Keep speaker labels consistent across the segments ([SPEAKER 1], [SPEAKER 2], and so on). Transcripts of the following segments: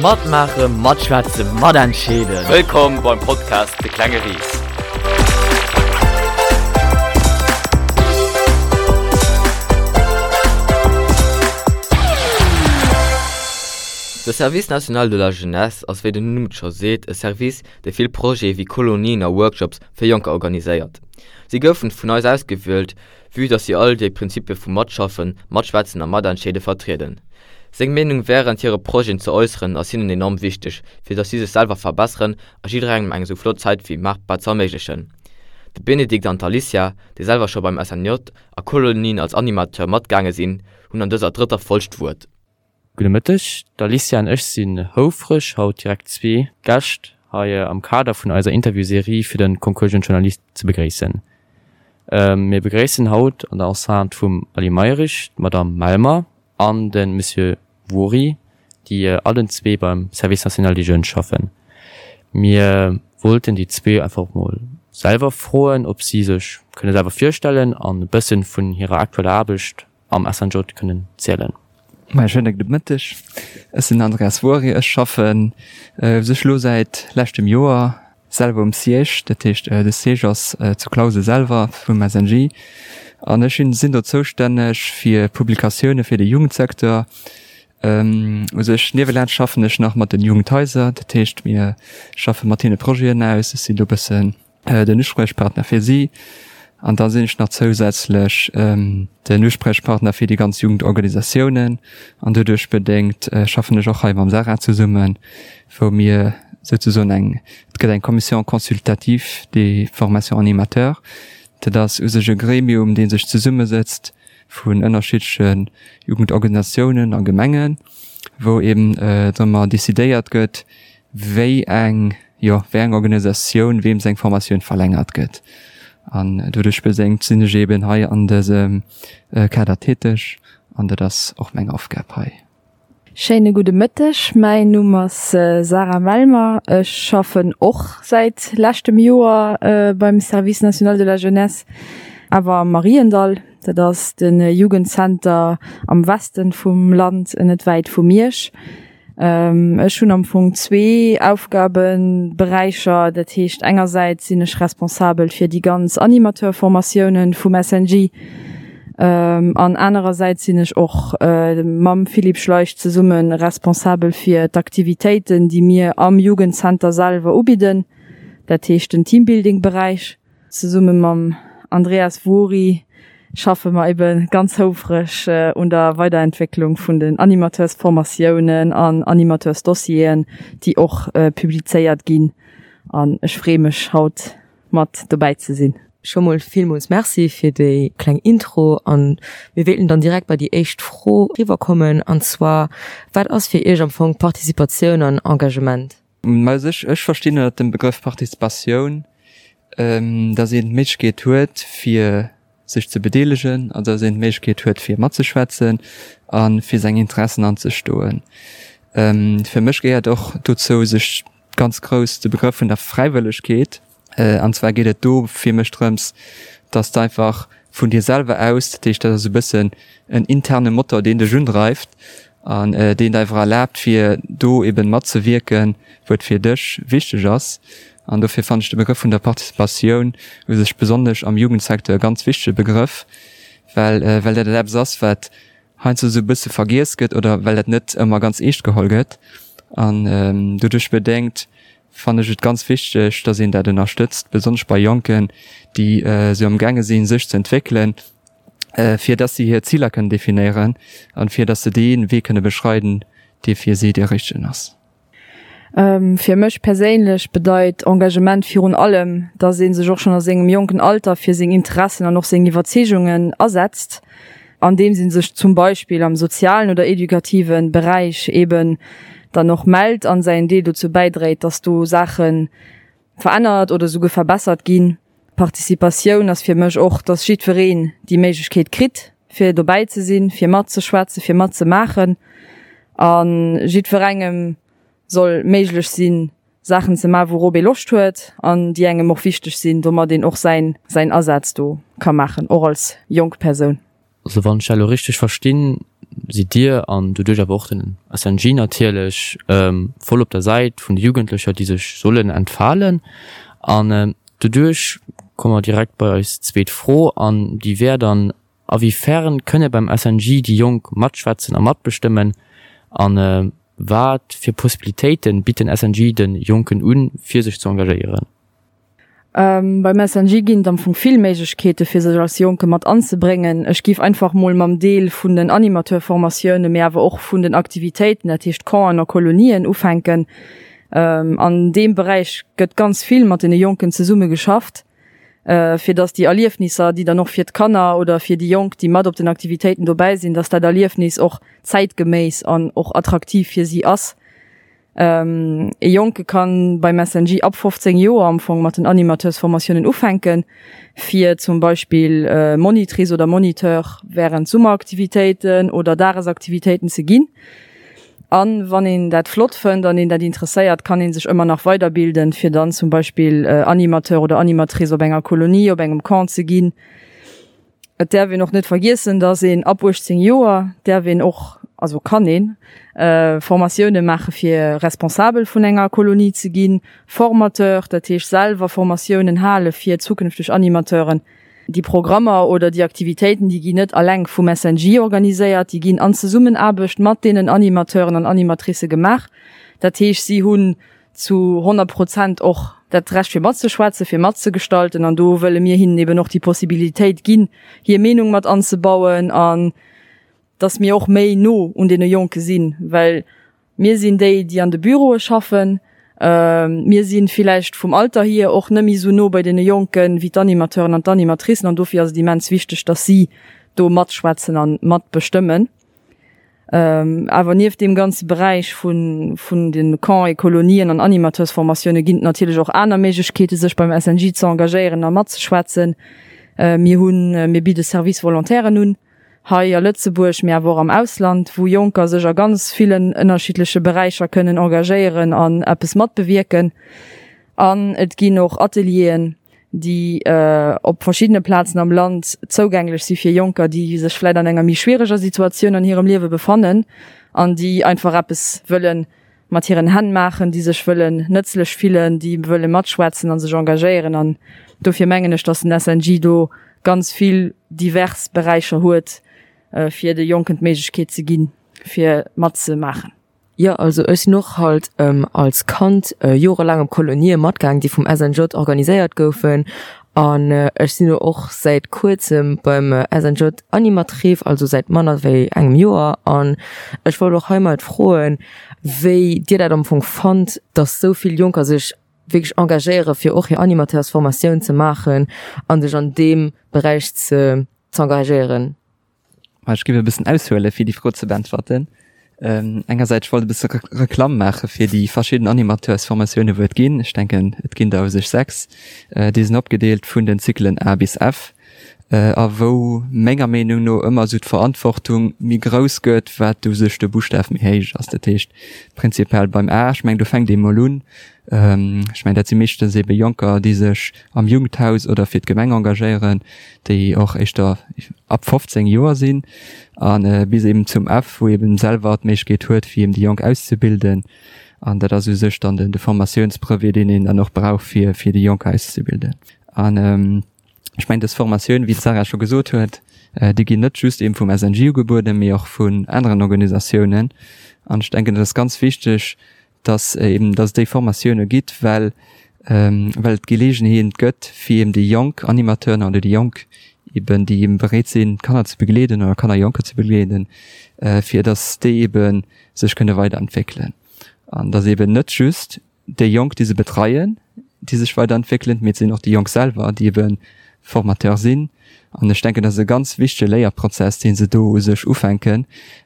[SPEAKER 1] Matmaachen, matschwätzen, matentscheeden.
[SPEAKER 2] Wëllkomm beim Podcast De klenge Ris.
[SPEAKER 1] De Service National de la Jeunesse ass wéi den Numm et scho seet e Service, dee vill Projete wéi Kolonien a Workshops fir Jonker organiséiert. Si goufen vun eis ausgewielt, vue dass si all déi Prinzipie vu Matschaffen, Matschwätzen a Matentscheede vertrieden. Seng Meenung wärend hire Projeten ze äusseren ass hinnen enorm wichteg, fir dass si sech selwer verbesseren a jidderengem eng esou flott Zäit wéi maachbar ze erméiglechen. De Benedikt an d'Alicia, déi selwer scho beim SNJ a Kolonien als Animateur matgaange sinn, hunn an dëser drëtter Folg d'Wuert.
[SPEAKER 3] Gudde Mëtteg, d'Alicia an ech sinn houfreg haut direkt zwee Gäscht hei am Kader vun eiser Interviewserie fir de Concours Jeune Journaliste ze begréissen. Mir begréissen haut an der Enceinte vum Aly Mayrisch d'Madame Melmer an de Monsieur Wory, déi allen zwee beim Service National des Jeunes schaffen. Mir wollten déi zwee einfach mol selwer froen, ob si sech kënne selwer virstellen an e bëssen vun hirer aktueller Aarbecht am SNJ kënnen zielen.
[SPEAKER 4] Mäi schéine gudde Mëtteg. Ech sinn den Andreas Wuori. Ech schaffen u sech elo säit leschtem Joer selwer um Siège. Dat heescht, de Siège ass zu Clausen selwer vum SNJ. An ech sinn do zoustänneg fir Publikatioune fir de Jugendsecteur. U sech niewelaanscht schaffen ech nach mat den Jugendhaiser. Dat heescht, mir schaffe mat hinne Projeten aus. Ech sinn do e bëssen den Uspriechpartner fir si an da sinn ech nach zousätzlech den Uspriechpartner fir déi ganz Jugendorganisatiounen an doduerch bedéngt schaffen ech och hei mam Sarah zesummen, wou mir souzesoen eng, et gëtt eng Commission consultative des formations animateurs, dat ass u sech e Gremium, dee sech zesummesëtzt vun ënnerschiddleche Jugendorganisatiounen a Gemengen, wou eben drëmmer decidéiert gëtt, wéi eng, jo, wéi eng Organisatioun weem seng Formatioun verlängert gëtt. An doduerch bedéngt sinn ech eben hei an dësem Kader täteg an dat ass och meng Aufgab hei.
[SPEAKER 5] Schéine gudde Mëtteg, mäin Numm ass Sarah Melmer. Ech schaffen och säit leschtem Joer beim Service National de la Jeunesse, awer am Mariendall. Dat ass de Jugendzenter am Westen vum Land, net wäit vu Miersch. Ech hunn am Fong zwee Aufgabenberäicher. Dat heescht, engersäits sinn ech responsabel fir déi ganz Animateurformatiounen vum SNJ an anerersäits sinn ech och mam Philippe Schleich zesumme responsabel fir d'Aktivitéiten, déi mir am Jugendzenter selwer ubidden, dat heescht den Teambuilding-Beräich. Zesumme mam Andreas Wuori schaffe mer ebe ganz houfreg un der Weiderentwécklung vun den Animateursformatiounen an Animateursdossieren, déi och publizéiert ginn. An ech freeë mech haut mat dobäi ze sinn.
[SPEAKER 6] Scho mol villmools Merci fir déi kleng Intro an mir wéilten dann direkt bei déi éischt Fro riwwerkommen an zwar, Wat ass fir Iech am Fong Participatioun an Engagement?
[SPEAKER 4] Mä ech, ech verstinn ënnert dem Begrëff Participatioun, dass een d'Méiglechkeet huet, fir sech ze bedeelegen, an dass een d'Méiglechkeet huet, fir matzeschwätzen a fir seng Interessen anzestoen. Fir mech gehéiert och dozou sech ganz grouss de Begrëff vun der Fräiwëllegkeet. An zwar geet et do fir mech drëms, dass de einfach vun dir selwer aus, dat heescht dat ass e bëssen en interne Motor, deen dech undreift an deen der einfach erlaabt, fir do eben matzewierken, wou et fir dech wichteg ass. An dofir fannen ech de Begrëff vun der Participatioun u sech besonnesch am Jugendsecteur e ganz wichtege Begrëff, well well dat eppes ass, wat heiansdo esou e bësse vergiess gëtt oder well dat net ëmmer ganz eescht geholl gëtt. An doduerch bedéngt fannen ech et ganz wichteg, dass een dat ënnerstëtzt, besonnesch bei Jonken, déi esou am gaange sinn, sech ze entwéckelen, fir dass si hir Ziler kënnen definéieren an fir dass se dee Wee kënne beschreiden, dee fir si dee richtegen ass.
[SPEAKER 5] Fir mech perséinlech bedeit Engagement virun allem, dass ee sech och schonn a sengem jonken Alter fir seng Interessen an och seng Iwwerzeegungen asetzt, andeems ee sech zum Beispill am sozialen oder edukative Beräich eben dann och mellt an säin Deel dozou bäidréit, dass do Saache verännert oder esouguer verbessert ginn. Participatioun ass fir mech och, dass jiddwereen déi Méiglechkeet kritt, fir dobäi ze sinn, fir matzeschwätzen, fir matzemaachen a jiddwerengem soll méiglech sinn, Saachen ze maachen, wourop ee Loscht huet an déi engem och wichteg sinn, domat een och säin säin Asaz do ka maachen, och als jonk Persoun.
[SPEAKER 3] Also wann ech dat elo richteg verstinn, sidd Dir an doduerch awer och den SNJ natierlech voll op der Säit vun de Jugendlecher, déi sech sollen entfalen. An doduerch komme mer direkt bei eis zweet Fro an déi wär dann, A wéi fern kënne beim SNJ déi Jonk matschwätzen a matbestëmmen a wat fir Possibilitéite bitt den SNJ de Jonken un, fir sech ze engagéieren?
[SPEAKER 5] Beim SNJ ginn et am Fong vill Méiglechkeete fir sech als Jonke mat anzebréngen. Ech géif einfach mol mam Deel vun den Animateurformatiounen, mee awer och vun den Aktivitéiten, dat heescht Campen a Kolonien, ufänken. An deem Beräich gëtt ganz vill mat deene Jonken zesumme geschafft, fir dass déi Erliefnisser, déi dann och fir d'Kanner oder fir déi Jonk, déi mat op den Aktivitéiten dobäi sinn, dass dat Erliefnis och zäitgeméiss an och attraktiv fir si ass. E Jonke kann beim SNJ ab 15 Joer am Fong mat den Animateursformatiounen ufänken, fir zum Beispill Monitrice oder Moniteur wärend Summeraktivitéiten oder Dagesaktivitéiten ze ginn. An wann een dat flott fënnt an een dat interesséiert, kann een sech ëmmer nach weiderbilden, fir dann zum Beispill Animateur oder Animatrice op enger Kolonie, op engem Camp ze ginn. Et däerf een och net vergiessen, dass een ab 18 Joer däerf een och, also kann een, Formatioune maache fir Responsabel vun enger Kolonie ze ginn, Formateur, dat heescht selwer Formatiounen hale fir zukünfteg Animateuren. Déi Programmer oder déi Aktivitéiten, déi ginn net alleng vum SNJ organiséiert, déi ginn an Zesummenaarbecht mat deenen Animateuren an Animatricë gemaach. Dat heescht, si hunn zu 100 Prozent och dat Recht fir matzeschwätzen, fir matzegestalten an do wëlle mir hinnen eben och déi Possibilitéit ginn, hir Meenung mat anzebauen an dass mir och méi no un deene Jonke sinn, well mir sinn déi, déi an de Büroe schaffen, mir si villäicht vum Alter hier och net méi esou no bei deene Jonken wéi d'Animateuren an d'Animatricen an dofir ass et immens wichteg, dass si do matschwätzen a matbestëmmen. Awer nieft deem ganze Beräich vun de Camps et Colonien an Animateursformatioune ginn et natierlech och aner Méiglechkeete sech beim SNJ ze engagéieren a matzeschwätzen. Mir hunn, mir bidde Service volontairen un, hei a Lëtzebuerg, mee awer och am Ausland, wou Jonker sech a ganz villen ënnerschiddleche Beräicher kënnen engagéieren an eppes matbewierken. An et ginn och Atelieren, déi op verschiddene Plazen am Land zougänglech si fir Jonker, déi sech vläit an enger méi schwiereger Situatioun an hirem Liewe befannen an déi einfach eppes wëlle mat hiren Hänn maachen, déi sech wëllen nëtzlech fillen, déi wëlle matschwätzen a sech engagéieren. An dofir mengen ech, datt den SNJ do ganz vill divers Beräicher huet, fir de Jonken d'Méiglechkeet ze ginn, fir matzemaachen.
[SPEAKER 6] Jo, also ech sinn och halt als Kand jorelaang op Kolonië matgaang, déi vum SNJ organiséiert goufen. An ech sinn elo och säit kuerzem beim SNJ Animatrice, also säit manner wéi engem Joer. An ech wollt och heimat froen, wéi Dir dat am Fong fannt, dass esou vill Jonker sech wierklech engagéiere fir och hir Animateursformatioun ze maachen a sech an deem Beräich ze z'engagéieren.
[SPEAKER 4] Ech géif e bëssen aushuelen, fir déi Fro ze beäntwerten. Engersäits, ech wollt e bësse Reklamm maache fir déi verschidden Animateursformatiounen, wou et ginn. Ech denken, et ginn der u sech 6. Déi sinn opgedeelt vun den Zyklen A bis F a wou menger Meenung no ëmmer esou d'Verantwortung méi grouss gëtt, wat u sech de Buschtaf méi héich ass. Dat heescht prinzipiell beim A, ech mengen, do fänkt ee mol un, Ech mengen, dat si meeschtens ebe Jonker, déi sech am Jugendhaus oder fir d'Gemeng engagéieren, déi och éischter ab 15 Joer sinn a bis eben zum F, wou eben selwer d'Méiglechkeet huet, fir eben déi Jonk auszebilden. An dat ass u sech dann de Formatiounsbrevet, deen een dann och brauch, fir fir déi Jonk auszebilden. An ech mengen, dës Formatioun, wéi d'Sarah scho gesot huet, déi ginn net just eben vum SNJ ugebueden, mee och vun aneren Organisatiounen. An ech denken, dat ass ganz wichteg, dass eben, dass et déi Formatioune gitt, well, well et d'Geleegenheet gëtt, fir eben déi jonk Animateuren oder déi Jonk eben, déi eben bereet sinn, Kanner ze begleeden oder Kanner, Jonker ze begleeden, fir dass déi eben sech kënne weiderentwéckelen. An dass eben net just déi Jonk, déi se betreien, déi sech weiderentwéckelen, mee et sinn och déi Jonk selwer, déi eben Formateur sinn. An ech denken, dat ass e ganz wichtege Léierprozess, dee se do u sech ufänken,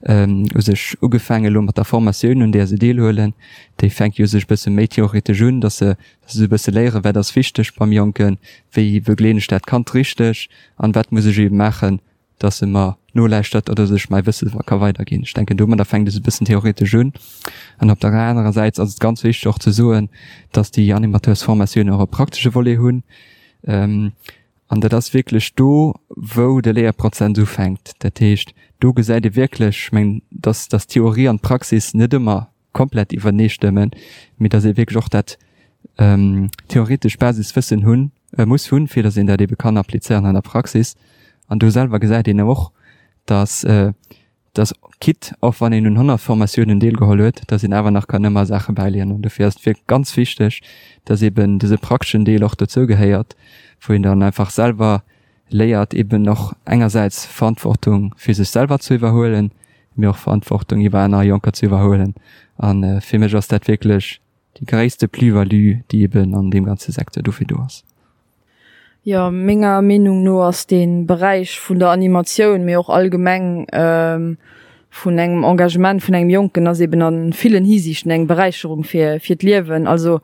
[SPEAKER 4] u sech ugefaange elo mat der Formatioun, un där se deelhuelen. Déi fänkt jo u sech e bësse méi theoretesch un, dass se, dass se e bësse léieren, wat ass wichteg beim Jonken, wéi begleeden ech dat Kand richteg an wat muss ech eebe maachen, dass e mer nolauschtert oder dass ech mäi Wësse ka weiderginn. Ech denken, domadder fänkt es e bëssen theoretesch un. An op der anerer Säit ass et ganz wichteg och ze soen, dass déi Animateursformatioun och e praktesche Volet hunn. An dat ass wierklech do, wou de Léierprozess ufänkt. Dat heescht, do gesäit ee wierklech, ech mengen, dass, dass d'Theorie an d'Praxis net ëmmer komplett iwwerneestëmmen, mee dass ee wierklech och dat theoretesch Basiswëssen hunn, muss hunn, fir dass een dat ebe kann applizéieren an der Praxis. An do selwer gesäit een och, dass, dass quitte och wann een un 100 Formatiounen deelgeholl huet, dass een awer nach kann ëmmer Saache bäiléieren. An dofir ass et wierklech ganz wichteg, dass eben dëse prakteschen Deel och dozou gehéiert, wou een dann einfach selwer léiert eben och engersäits Verantwortung fir sech selwer ze iwwerhuelen, mee och Verantwortung iwwer aner Jonker ze iwwerhuelen. A fir mech ass dat wierklech déi gréisste Plus-value, déi eben an deem ganze Secteur dofir do ass.
[SPEAKER 5] Jo, menger Meenung no ass dee Beräich vun der Animatioun, mee och allgemeng vun engem Engagement vun engem Jonken ass eben a villen Hisiichten eng Beräicherung fir fir d'Liewen. Also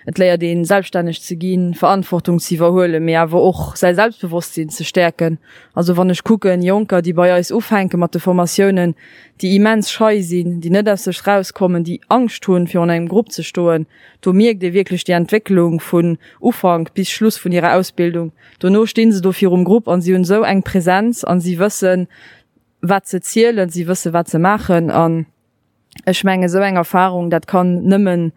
[SPEAKER 5] et léiert een selbststänneg ze ginn, Verantwortung ze iwwerhuelen, mee awer och säi Selbstbewosstsinn ze stäerken. Also wann ech kucken, Jonker déi bei eis ufänke mat de Formatiounen, déi immens schei sinn, déi net aus sech rauskommen, déi Angscht hunn virun engem Grupp ze stoen, do mierkt ee wierklech déi Entwécklung vun Ufank bis Schluss vun hirer Ausbildung. Dono stinn se do virum Grupp an si hunn esou eng Präsenz an si wëssen, wat se zielen, si wësse wat se maachen an ech mengen esou eng Erfahrung, dat kann nëmmen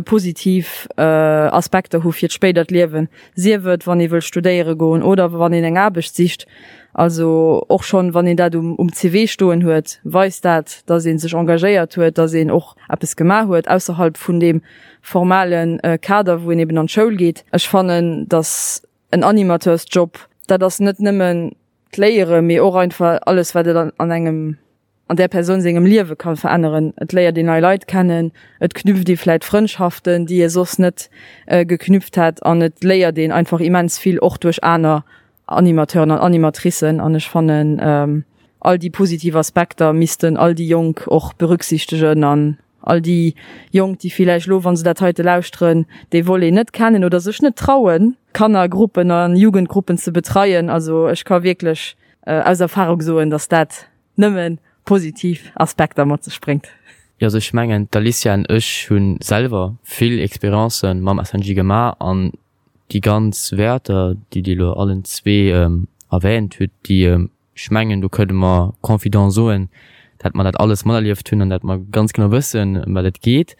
[SPEAKER 5] positiv Aspekter hu fir d'spéidert Liewen, sief et wann ee wëll studéiere goen oder wann een eng Aarbecht sicht. Also och schonn wann een dat um CV stoen huet, weist dat, datt ee sech engagéiert huet, datt een och eppes gemaach huet ausserhalb vun deem formale Kader, wou een eben an d'Schoul geet. Ech fannen, datt en Animateursjob, dat ass net nëmmen d'Léiere, mee och einfach alles, wat et an engem, an där Persoun sengem Liewe ka veränneren. Et léiert een nei Leit kennen, et knüpft ee vläit Frëndschaften, déi ee soss net geknüpft hätt an et léiert een einfach immens vill, och duerch aner Animateuren an Animatricen. An ech fannen, all déi positiv Aspekter missten all déi Jonk och berücksichtegen an All déi Jonk, déi villäicht elo, wa se dat heite lauschteren, dee Volet net kennen oder sech net trauen, Kannergruppen a Jugendgruppen ze betreien, also ech ka wierklech aus Erfahrung soen, dass dat nëmme positiv Aspekter mat sech bréngt.
[SPEAKER 3] Jo, also ech mengen, d'Alicia an ech hu selwer vill Expériencë mam SNJ gemaach an déi ganz Wäerter, déi Dir elo allen zwee erwähnt hutt, déi Ech mengen, do kënne mer confident soen, dat mer dat alles materlieft hunn an dat mer ganz genau wëssen, ëm wat et geet.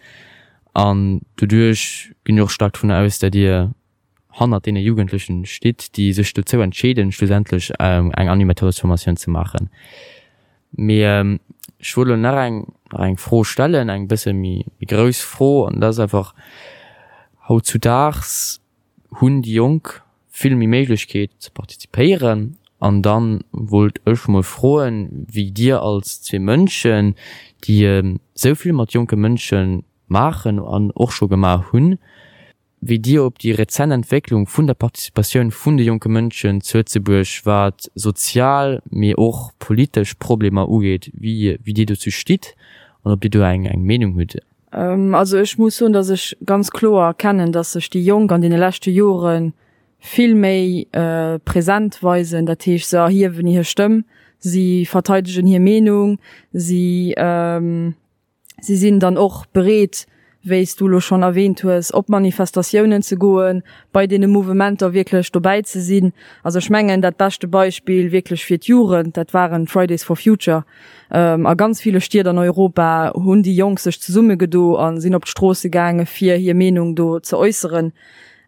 [SPEAKER 3] An doduerch ginn ech och staark dovun aus, dat Dir hannert deene Jugendlechen stitt, déi sech dozou entscheeden, schlussendlech eng Animateursformatioun ze maachen. Mee ech wollt elo nach eng, nach eng Fro stellen, eng bësse méi grouss Fro, an dat ass einfach, Hautzudaags hunn déi Jonk vill méi Méiglechkeet ze partizipéieren. An dann wollt ech mol froen, wéi dir als zwee Mënschen, déi esou vill mat jonke Mënsche maachen an och scho gemaach hunn, wéi dir op déi rezent Entwécklung vun der Participatioun vun de jonke Mënschen zu Lëtzebuerg, wat sozial, mee och politesch Problemer ugeet, wéi dir dozou stitt an ob dir do eng Meenung hutt.
[SPEAKER 5] Also ech muss soen, datt ech ganz kloer erkennen, datt sech déi Jonk an deene leschte Jore vill méi present weisen. Dat heescht, se erhiewen hir Stëmm, si verteidegen hir Meenung, si si sinn dann och bereet, wéi s du elo schonn erwähnt hues, op Manifestatiounen ze goen, bei deene Mouvementer wierklech dobäi ze sinn. Also ech mengen, dat beschte Beispill wierklech fir d'Jugend, dat waren d'Fridays for Future. A ganz ville Stied an Europa hunn déi Jonk sech zesummegedo a sinn op d'Stroosse gaange fir hir Meenung do ze äusseren.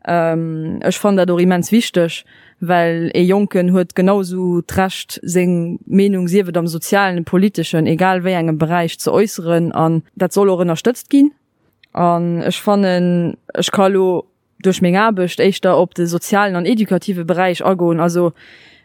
[SPEAKER 5] Ech fannen dat och immens wichteg, well ee Jonken huet genau esou d'Recht seng Meenung, sief et am sozialen, politeschen, egal wéi engem Beräich, ze äusseren an dat soll och ënnerstëtzt ginn. An ech fannen, ech ka elo duerch meng Aarbecht éischter op de sozialen an edukative Beräich agoen. Also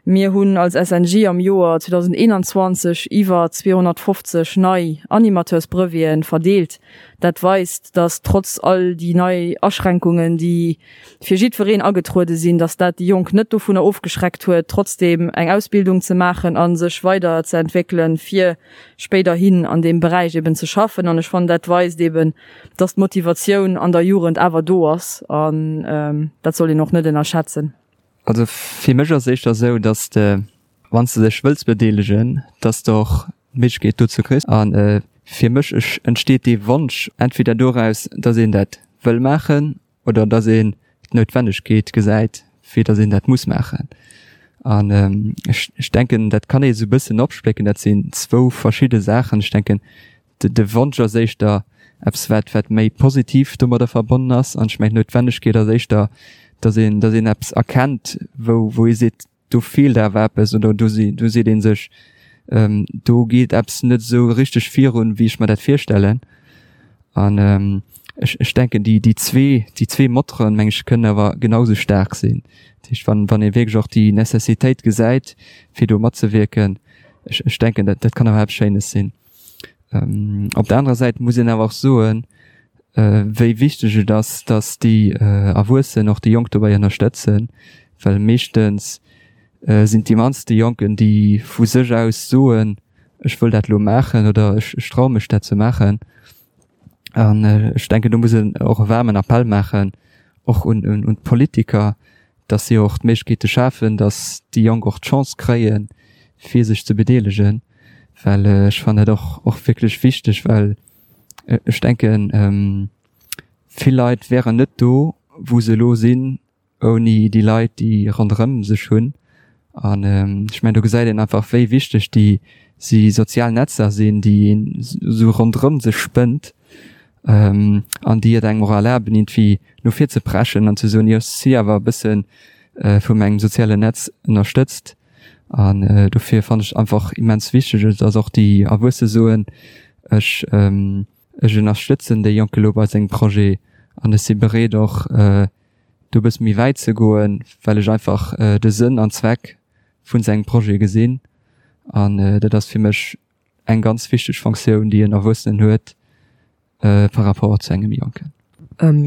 [SPEAKER 5] mir hunn als SNJ am Joer 2021 iwwer 250 nei Animateursbreveten verdeelt. Dat weist, dass trotz all déi nei Aschränkungen, déi fir jiddwereen agetruede sinn, dass dat déi Jonk net dovunner ofgeschreckt huet, trotzdeem eng Ausbildung ze maachen a sech weider ze entwéckelen, fir spéiderhin an deem Beräich eben ze schaffen. An ech fannen, dat weist eben, dass d'Motivatioun an der Jugend awer do ass an dat soll een och net ënnerschätzen.
[SPEAKER 4] Also fir mech ass et éischter esou, dass de, wann s de dech wëlls bedeelegen, dass de och d'Méiglechkeet dozou kriss. A fir mech entsteet dee Wonsch entweder doraus, dass een dat wëll maachen oder dass een d'Noutwennegkeet gesäit. wéi datt een dat muss maachen. An ech, ech denken, dat kann ee sou e bëssen opsplécken, dat sinn zwou verschidde Saachen. Ech denken, de, de Wonsch ass éischter eppes, wat, wat méi positiv domadder verbonnen ass. An ech mengen, d'Noutwennegkeet ass éischter, datt een, datt een eppes erkennt, wou, wou ee seet, do feelt awer eppes oder do si, do seet ee sech, do geet eppes net esou richteg virun, wéi ech mer dat virstellen. An ech, ech denken, déi, déi zwee, déi zwee Motoren, meng ech, kënnen awer genau sou staark sinn. Dat heescht, wann, wann ee wierklech och déi Necessitéit gesäit, fir do matzewierken, ech, ech denken, dat, dat kann awer eppes Schéines sinn. Op der anerer Säit muss een awer och soen, wéi wichteg et ass, dass déi Erwuessen och déi Jonk dobäi ënnerstëtzen, well meeschtens sinn et déi mannst déi Jonken, déi vu sech aus soen, ech wëll dat elo maachen oder ech traue mech dat ze maachen. An ech denken, do muss een och e waarmen Appell maachen, och un d'Politiker, dass si och d'Méiglechkeete schafen, dass déi Jonk och d'Chance kréien, fir sech ze bedeelegen, well ech fannen dat och och wierklech wichteg, well ech denken, vill Leit wären net do, wou se elo sinn, ouni déi Leit, déi ronderëm sech hunn. An ech mengen, do gesäit een einfach, wéi wichteg déi si sozial Netzer sinn, déi een esou ronderëm sech spënnt an déi et engem och erlaben, iergendwéi no vir ze preschen an ze soen, jo, ech si awer e bësse vu mengem sozialen Netz ënnerstëtzt. An dofir fannen ech einfach immens wichteg, dass och déi Erwuesse soen, ech ech ënnerstëtzen dee Jonke lo bei sengem Projet an ech si bereet och do e bësse méi wäit ze goen, well ech einfach de Sënn an Zweck vun sengem Projet gesinn. An dat ass fir mech eng ganz wichteg Fonctioun, déi en Erwuessenen huet par rapport zu engem Jonken.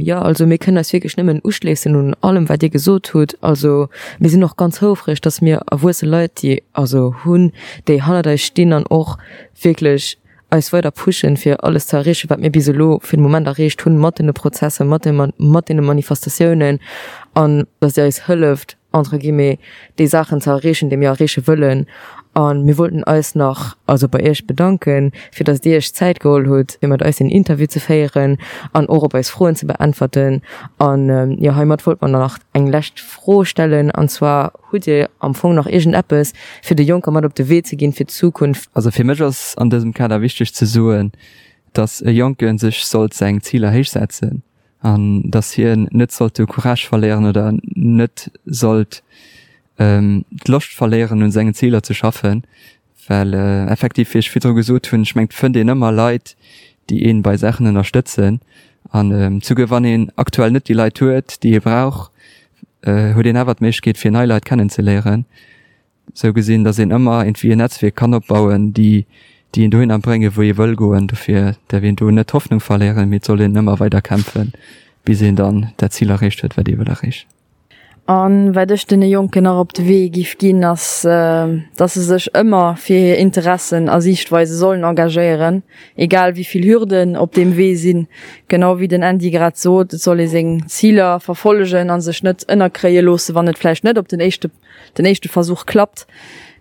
[SPEAKER 6] Jo, also mir kënnen eis wierklech nëmmen uschléissen un allem, wat Dir gesot hutt. Also mir sinn och ganz houfreg, dass mir erwuesse Leit, déi also hunn, déi hannert eis stinn an och wierklech eis weider pushen, fir alles ze erreechen, wat mir bis elo fir de Moment erreecht hunn, mat deene Prozesser, mat de mat deene Manifestatiounen, an dass Dir eis hëlleft, entre guillemets, déi Saachen ze erreechen, déi mir erreeche wëllen. A mir wollten eis nach also bei Iech bedanken, fir dass Dir Iech d'Zäit geholl hutt, fir mat eis deen Interview ze féieren an och op eis Froen ze beäntwerten. An jo, heimat wollte mer nach eng lescht Fro stellen, an zwar, Hutt Dir am Fong nach iergendeppes, fir de Jonker mat op de Wee ze ginn fir d'Zukunft?
[SPEAKER 4] Also fir mech ass an dësem Kader wichteg ze soen, dass e Jonke sech sollt seng Ziler héich setzen an dass hien net sollt de Courage verléieren oder net sollt d'Loscht verléieren un sengen Ziler ze schaffen, well effektiv, wéi ech virdru gesot hunn, ech mengen et fënnt een ëmmer Leit, déi een bei Saachen ënnerstëtzen an souguer wann een aktuell net déi Leit huet, déi ee brauch, huet een awer d'Méiglechkeet fir nei Leit kennenzeléieren. Sou gesinn, datt een ëmmer iergendwéi en Netzwierk kann opbauen, déi déi een dohinner bréngen, wou ee wëll goen. Dofir däerf een do net d'Hoffnung verléieren, mee et soll een ëmmer weider kämpfen, bis een dann dat Zil erreecht huet, wat ee wëll erreechen.
[SPEAKER 5] A wat ech deene Jonken nach op de Wee giff ginn, ass, dass se sech ëmmer fir hir Interessen a Siichtweise sollen engagéieren, egal wéi vill Hürden op deem Wee sinn. Genau wéi den Andy grad sot, et soll ee seng Ziler verfollegen a sech net ënnerkréie loossen, wann et vläicht net op den éischte den éischte Versuch klappt.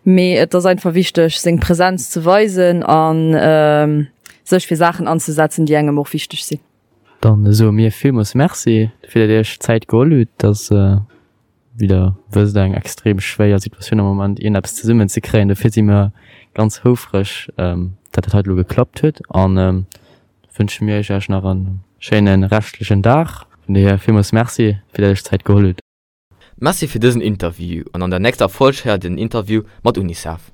[SPEAKER 5] Mee et ass einfach wichteg, seng Präsenz ze weisen a sech fir Saachen anzesetzen, déi engem och wichteg sinn.
[SPEAKER 3] Dann soe mir villmools Merci, fir datt Dir Iech d'Zäit geholl hutt. Et ass, wéi Der wësst, eng extrem schwéier Situatioun am Moment, iergendeppes zesummen ze kréien. Dofir si mir ganz houfreg, datt dat hei elo geklappt huet. An da wënsche mir Iech nach e schéine reschtlechen Dag. Vun dohier villmools Merci, fir datt Dir Iech d'Zäit geholl hutt.
[SPEAKER 1] Merci fir dësen Interview an an der nächster Folg héiert dir den Interview mat Unicef.